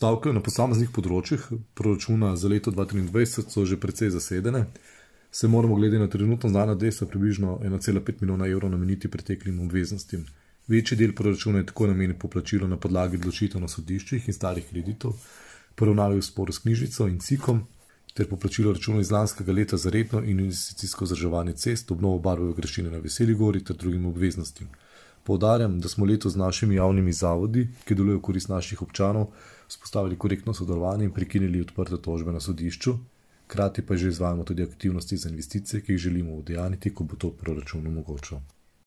Postavke na posameznih področjih proračuna za leto 2023 so že precej zasedene. Se moramo glede na trenutno znana dejstva približno 1,5 milijona evrov nameniti preteklim obveznostim. Večji del proračuna je tako namenjen poplačilu na podlagi odločitev na sodiščih in starih kreditov, poravnavi v sporu s knjižnico in cikom, ter poplačilo računov iz lanskega leta za redno in investicijsko vzdrževanje cest, obnovo barve graščine na Veseli gori ter drugim obveznostim. Poudarjam, da smo letos z našimi javnimi zavodi, ki delujejo v korist naših občanov, vzpostavili korektno sodelovanje in prekinili odprte tožbe na sodišču, hkrati pa že izvajamo tudi aktivnosti za investicije, ki jih želimo udejaniti, ko bo to proračun omogočal.